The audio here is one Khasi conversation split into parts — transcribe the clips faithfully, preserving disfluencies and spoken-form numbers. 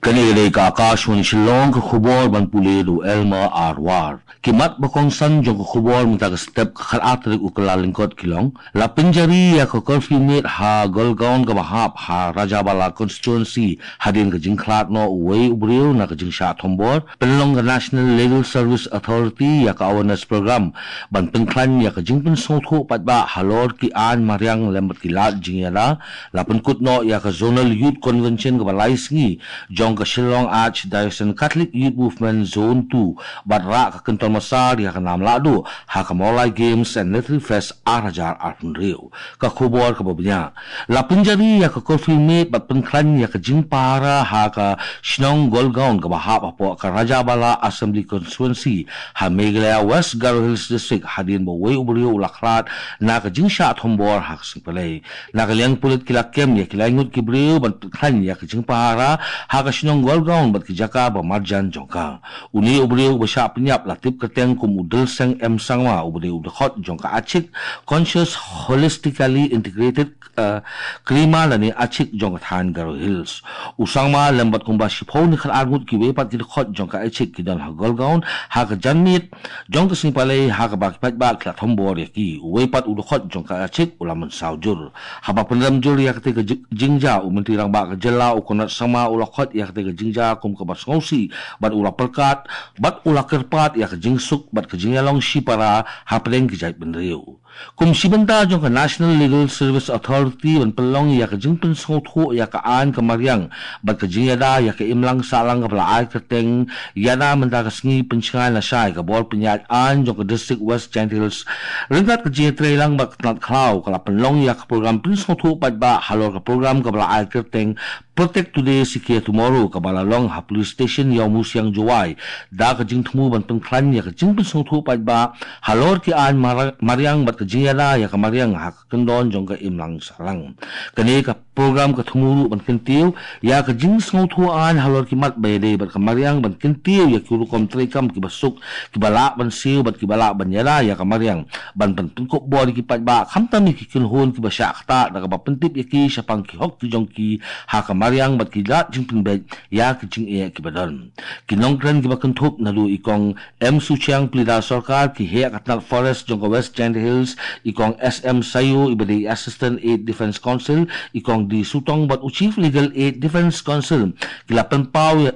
Kane ka dei ka Akashvani Shillong, ka khubor ban pule da u Elmer Arwar. Ki mat ba kongsan jong ka khubor mynta ka step ka khatar tarik u Kyllalyngkot ki long: la pynjari ïa ka curfew miet ha Golgaon kaba hap ha Rajabala constituency hadien ka jingkhlad noh uwei u briew na ka jingshah thombor. Pynlong ka National Legal Service Authority ïa ka awareness program ban pynkhlaiñ ïa ka jingpynsngewthuh paidbah halor ki aiñ mariang lem bad ki lad jingïada. La pynkut noh ïa ka Zonal Youth Convention kaba lai sngi jong ka Shillong Archdiocesan Catholic Youth Movement Zone two bad rah ka kynton masar ïa ka nam lahduh ha ka Mawlai Games and Literary Fest ar hajar arphew hynriew. Ka khubor kaba bniah: la pynjari ïa ka curfew miet bad pynkhlaiñ ïa ka jingpahara ha ka shnong Golgaon kaba hap hapoh ka Rajabala Assembly Constituency ha Meghalaya West Garo Hills District hadien ba uwei u briew u la khlad na ka jingshah thombor ha ka sngi Palei. Na ka liang pulit ki la kem ïa ki lai ngut ki briew ban pynkhlaiñ ïa ka jingpahara ha ka shnong Golgaon bad ki jaka ba marjan jong ka. Une u briew uba shah pynïap la tip kyrteng kum u Dilseng M Sangma uba dei u dkhot jong ka Achik Conscious Holistically Integrated, eh, Krima lane Achik jong ka thaiñ Garo Hills. U Sangma lem bad kumba shiphew ne khatar ngut kiwei pat ki dkhot jong ka Achik ki don ha Golgaon ha ka janmiet jong ka sngi Palei ha kaba ki paidbah ki la thombor ïa ki. Uwei pat u dkhot jong ka Achik u la mynsaw jur. Haba pynrem jur ïa katei ka ji-, jingjia, u Myntri Rangbah ka jylla u Conrad Sangma u la khot ïa katei ka jingjia kum kaba sngewsih bad u la pyrkhat bad u la kyrpad ïa ka jingsuk bad ka jingïalong shipara hapdeng ki jaitbynriew. Kum shi bynta jong ka National Legal Service Authority ban pynlong ïa ka jingpynsngewthuh ïa ka aiñ ka mariang bad ka jingïada ïa ka imlang sahlang kaba la ai kyrteng Ïada Mynta Ka Sngi Pynshngaiñ Lashai ka bor pynïaid aiñ jong ka District West Jaintia Hills ryngkat ka jingïatreilang bad ka tnat khlaw ka la pynlong ïa ka program pynsngewthuh paidbah halor ka program kaba la ai kyrteng Protect Today, Secure Tomorrow kaba la long ha Police Station Ïawmusiang Jowai da ka jingthmu ban pynkhlaiñ ïa ka jingpynsngewthuh paidbah halor ki aiñ mara-, mariang bad ka jingïada ïa ka mariang ha ka kyndon jong ka imlang sahlang. Kane ka program ka thmu ruh ban kyntiew ïa ka jingsngewthuh aiñ halor ki mat ba ïadei bad ka mariang, ban kyntiew ïa ki rukom treikam kiba suk, kiba lah ban siew bad kiba lah ban ïada ïa ka mariang, ban pynkup bor ïa ki paidbah khamtam ïa ki kynhun kiba shah ktah da kaba pyntip ïa ki shaphang ki hok ki jong ki ha ka mariang bad ki lad jingpynbeit ïa ki jingeh kiba don. Ki nongkren kiba kynthup naduh i Kong M Suchiang, Pleader Sorkar, ki heh ka tnat Forest jong ka West Jaintia Hills, i Kong S M Sayo iba dei Assistant Aide Defence Counsel, i Kong D Sutong bad u Chief Legal Aide Defence Counsel ki la pynpaw ïa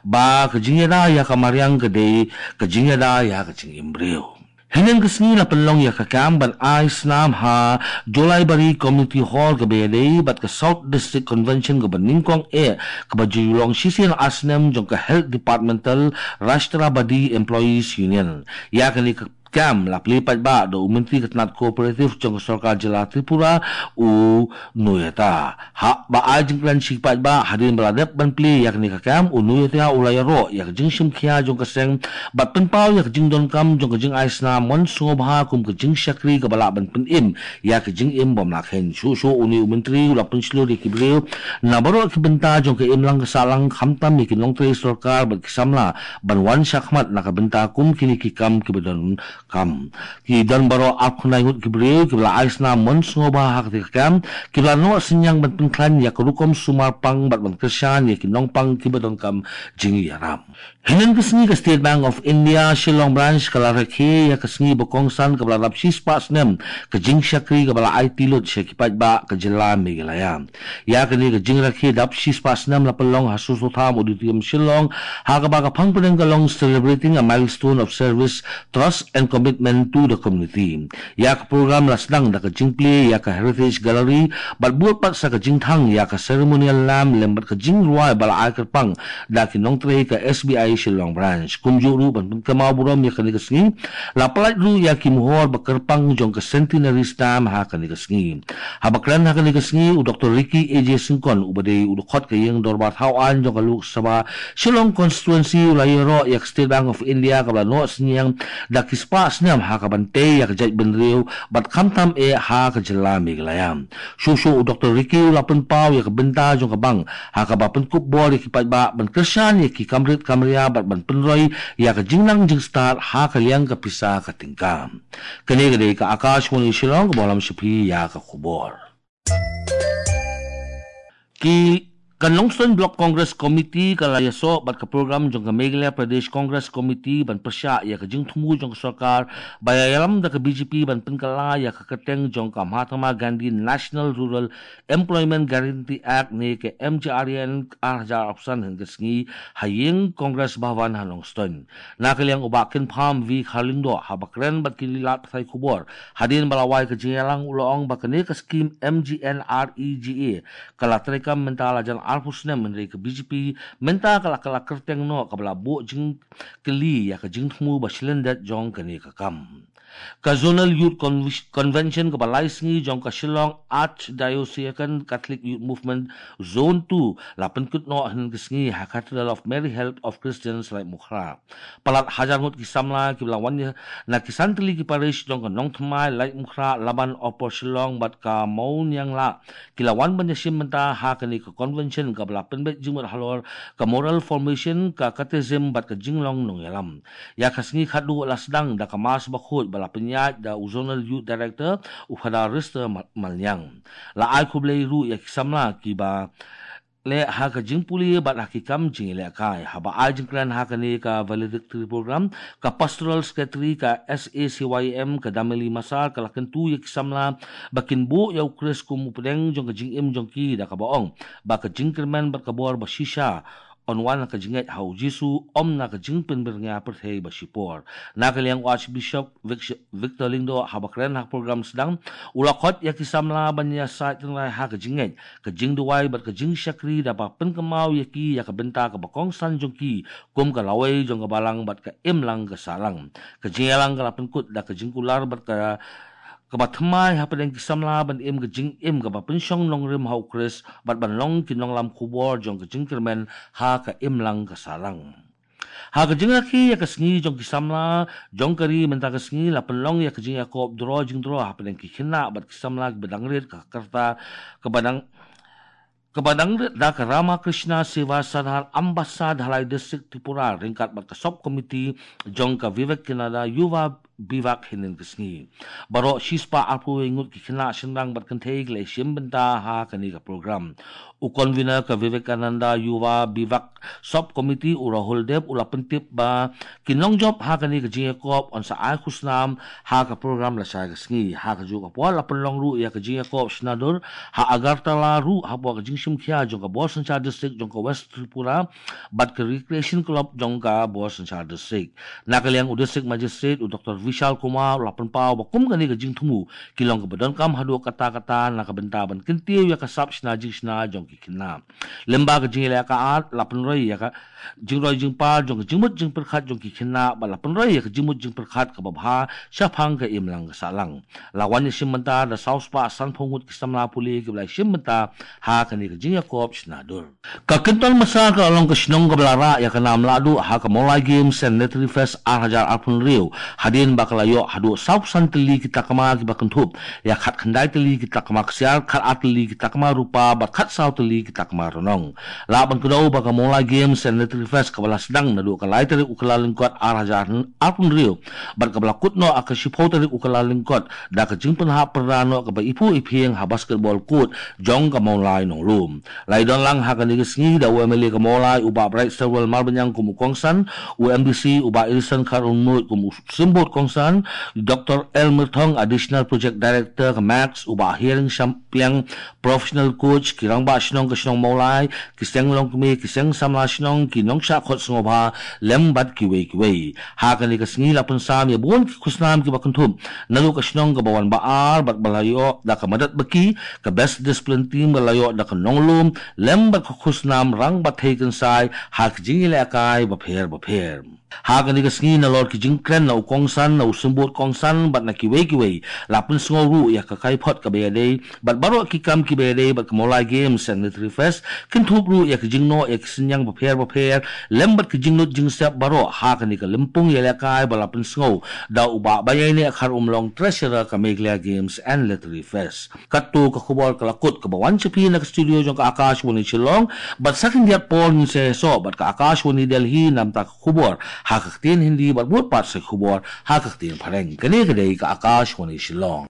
ba ka jingïada ïa ka mariang ka dei ka jingïada ïa ka jingim briew. Hynnin ka sngi la pynlong ïa ka kam ban ai snam ha Jolaibari Community Hall kaba ïadei bad ka South District Convention kaba nyngkong eh kaba ju long shisien ar snem jong ka Health Departmental Rashtrabadi Employees Union. Ïa kane ka kam la plie paidbah da u Myntri ka tnat Cooperative jong ka Sorkar Jylla Tripura, u Noyata. Haba ai jingkren sha ki paidbah hadien ba la dep ban plie ïa kane ka kam, u Noyata u la ïaroh ïa ka jingshim khia jong ka seng bad pynpaw ïa ka jingdonkam jong ka jingai snam mon sngewbha kum ka jingshakri kaba lah ban pynim ïa ka jingim bym lah khein. Shuh shuh une u Myntri u la pynshlur ïa ki briew na baroh ki bynta jong ka imlang ka sahlang, khamtam ïa ki nongtrei sorkar bad ki samla, ban wan shakhmat na ka bynta kum kine ki kam kiba don kam. Ki don baroh arphew khyndai ngut ki briew kiba la ai snam mon sngewbha ha katei ka kam, kiba la noh synñiang ban pynkhlaiñ ïa ka rukom sumar pang bad ban kyrshan ïa ki nongpang kiba donkam jingïarap. Hynnin ka sngi ka State Bank of India Shillong Branch ka la rakhe ïa ka sngi ba kongsan kaba la dap shispah snem ka jingshakri kaba la aiti lut sha ki paidbah ka jylla Meghalaya. Ïa kane ka jingrakhe dap shispah snem la pynlong ha Soso Tham Auditorium Shillong, ha kaba ka phang pdeng ka long Celebrating a Milestone of Service, Trust and Commitment to the Community. Ïa ka program la sdang da ka jingplie ïa ka Heritage Gallery bad bud pat sa ka jingthang ïa ka ceremonial lamp lem bad ka jingrwai ba la ai kyrpang da ki nongtrei ka S B I Shillong Branch. Kumjuh ruh ban pynkynmaw burom ïa kane ka sngi, la pyllait ruh ïa ki mohor ba kyrpang jong ka Centenary Stamp ha kane ka sngi. Haba kren ha kane ka sngi, u Doktor Ricky A J Syngkon uba dei u dkhot ka ïing dorbar thaw aiñ jong ka Lok Sabha Shillong Constituency u la ïaroh ïa ka State Bank of India kaba la noh synñiang da ki spah snem ha kaban tei ïa ka jaitbynriew bad khamtam eh ha ka jylla Meghalaya. Shuh shuh u Doktor Ricky u la pynpaw ïa ka bynta jong ka bank ha kaba pynkup bor ïa ki paidbah ban kyrshan ïa ki kam rit kam ria bad ban pynroi ïa ka jingnang jingstad ha ka liang ka pisa ka tyngka. Kane ka dei ka Akashvani Shillong kaba lam sha phi ïa ka khubor. Ki Ka Nongstoiñ Block Congress Committee ka la ïasoh bad ka program jong ka Meghalaya Pradesh Congress Committee ban pyrshah ïa ka jingthmu jong ka sorkar ba ïalam da ka B J P ban pynkylla ïa ka kyrteng jong ka Mahatma Gandhi National Rural Employment Guarantee Act ne ka M G R A N ar hajar arphew san hynne ka sngi ha ïing Congress Bhavan ha Nongstoiñ. Na ka liang u Bah Kynpham V Kharlyngdoh haba kren bad ki lad pathai khubor hadien ba la wai ka jingïalang u la ong ba kane ka skim M G N R E G A ka la treikam mynta la jan arphew snem, hynrei ka B J P mynta ka la kylla kyrteng noh kaba la buh jingkylli ïa ka jingthmu ba shilyndet jong kane ka kam. Ka Zonal Youth Conv- Convention kaba lai sngi jong ka Shillong Archdiocesan Catholic Youth Movement Zone two la pynkut noh hynne ka sngi ha Cathedral of Mary Help of Christians Laitumkhrah. Palat hajar ngut ki samla kiba la wan na ki san tylli ki parish jong ka Nongthymmai, Laitumkhrah, Laban, Upper Shillong bad ka Mawniangla ki la wan ban ïashim bynta ha kane ka convention kaba la pynbeit jingmut halor ka moral formation, ka catechism bad ka jinglong nongïalam. Ïa ka sngi khatduh la sdang da ka Mass Bakhuid ba la pynïaid da u Zonal Youth Director, u Father Rister Mal- Malniang. La ai khublei ruh ïa ki samla kiba leh ha ka jingpule bad ha ki kam jingïalehkai. Haba ai jingkren ha kane ka valedictory program, ka Pastoral Secretary ka S A C Y M, ka Dameli Masar, ka la kyntu ïa ki samla ba kin buh ïa u Khrist kum u pdeng jong ka jingim jong ki, da kaba ong ba ka jingkyrmen bad ka bor ba shisha yn wan na ka jingngeit ha u Jisu, ym na ka jingpynbyrngia pyrthei ba shipor. Na ka liang u Archbishop Vic- Victor Lyngdoh haba kren ha ka program sdang, u la khot ïa ki samla ban ïasaid tynrai ha ka jingngeit, ka jingduwai bad ka jingshakri, da ba pynkynmaw ïa ki ïa ka bynta kaba kongsan jong ki kum ka lawei jong ka balang bad ka imlang ka sahlang. Ka jingïalang ka la pynkut da ka jingkular bad ka kaba thymmai hapdeng ki samla ban im ka jingim kaba pynshong nongrim ha u Khrist bad ban long ki nonglam khubor jong ka jingkyrmen ha ka imlang ka sahlang. Ha ka jingrakhe ïa ka sngi jong ki samla jong ka ri mynta ka sngi, la pynlong ïa ka jingïakop draw jingdraw hapdeng ki khynnah bad ki samla kiba dang rit, ka karta kaba dang kaba dang rit da ka Ramakrishna Seva Sadhan Ambassa Dhalai District Tripura ryngkat bad ka Sub Committee jong ka Vivekananda Yuva Bivak hynne ka sngi. Baroh shispah arphew wei ngut ki khynnah shynrang bad kynthei ki la ïashim bynta ha kane ka program. U Convener ka Vivekananda Yuva Bivak Sub Committee, u Rahul Deb, u la pyntip ba ki nongjop ha kane ka jingïakop yn sa ai khusnam ha ka program lashai ka sngi. Ha kajuh ka por la pynlong ruh ïa ka jingïakop shna dur ha Agartala ruh hapoh ka jingshimkhia jong ka Bor Synshar District jong ka West Tripura bad ka Recreation Club jong ka Bor Synshar District. Na ka liang u District Magistrate, u Doctor Vishal Kumar, u la pynpaw ba kum kane ka jingthmu ki long kaba donkam haduh katta katta na ka bynta ban kyntiew ïa ka sap shna jingshna jong ki khynnah. Lyngba ka jingïaleh ka art, la pynroi ïa ka jingroi jingpar jong ka jingmut jingpyrkhat jong ki khynnah bad la pynroi ïa ka jingmut jingpyrkhat kaba bha shaphang ka imlang ka sahlang. La wan ïashim bynta da saw spah sanphew ngut ki samla pule kiba la ïashim bynta ha kane ka jingïakop shna dur. Ka Kynton Massar ka la long ka shnong kaba la rah ïa ka nam lahduh ha ka Mawlai Games and Literary Fest ar hajar arphew hynriew, hadien ba ka la ïoh haduh saw phew san tylli ki takma kiba kynthup ïa khatkhyndai tylli ki takma ksiar, khatar tylli ki takma rupa bad khatsaw tylli ki takma rnong. Lah ban kdew ba ka Mawlai Games and Literary Fest kaba la sdang naduh ka lai tarik u Kyllalyngkot ar hajar arphew hynriew bad kaba la kut noh ha ka shiphew tarik u Kyllalyngkot da ka jingpynhap pyrda noh kaba iphuh iphieng ha basketball court jong ka Mawlai Nonglum. La ïadon lang ha kane ka sngi da u M L A ka Mawlai u Bah Brightstarwell Marbaniang kum u kongsan, u M D C u Bah Edison Kharunmuid kum u symbud kongsan, Doctor L Myrthong, Additional Project Director ka Max, u Bah Hearing Shampliang, Professional Coach, ki rangbah shnong ka shnong Mawlai, ki seng longkmie, ki seng samla shnong, ki nongshah khot sngewbha lem bad kiwei kiwei. Ha kane ka sngi la pynsam ïa bun ki khusnam kiba kynthup naduh ka shnong kaba wan ba ar bad ba la ïoh da ka madat ba ki, ka Best Discipline Team ba la ïoh da ka Nonglum lem bad ka khusnam Rangbah Thei Kynsai ha ka jingïalehkai bapher bapher. Ha kane ka sngi nalor ki jingkren na u kongsan, na u symbud kongsan bad na kiwei kiwei, la pynsngew ruh ïa ka kaiphod kaba ïadei bad baroh ki kam kiba ïadei bad ka Mawlai Games and Literary Fest, kynthup ruh ïa ki jingnoh ïa ki synñiang bapher bapher lem bad ki jinglut jingsep baroh ha kane ka lympung ïalehkai ba la pynsngew da u Bah Baiaineh Kharumlong, Treasurer ka Meghalaya Games and Literary Fest. Katto ka khubor ka la kut kaba wan sha phi na ka studio jong ka Akashvani Shillong, bad sa khyndiat por ngin sa ïasoh bad ka Akashvani Delhi na bynta ka khubor ha ka ktien Hindi bad bud pat sa khubor ha ka ktien Phareng. Kane ka dei ka Akashvani Shillong.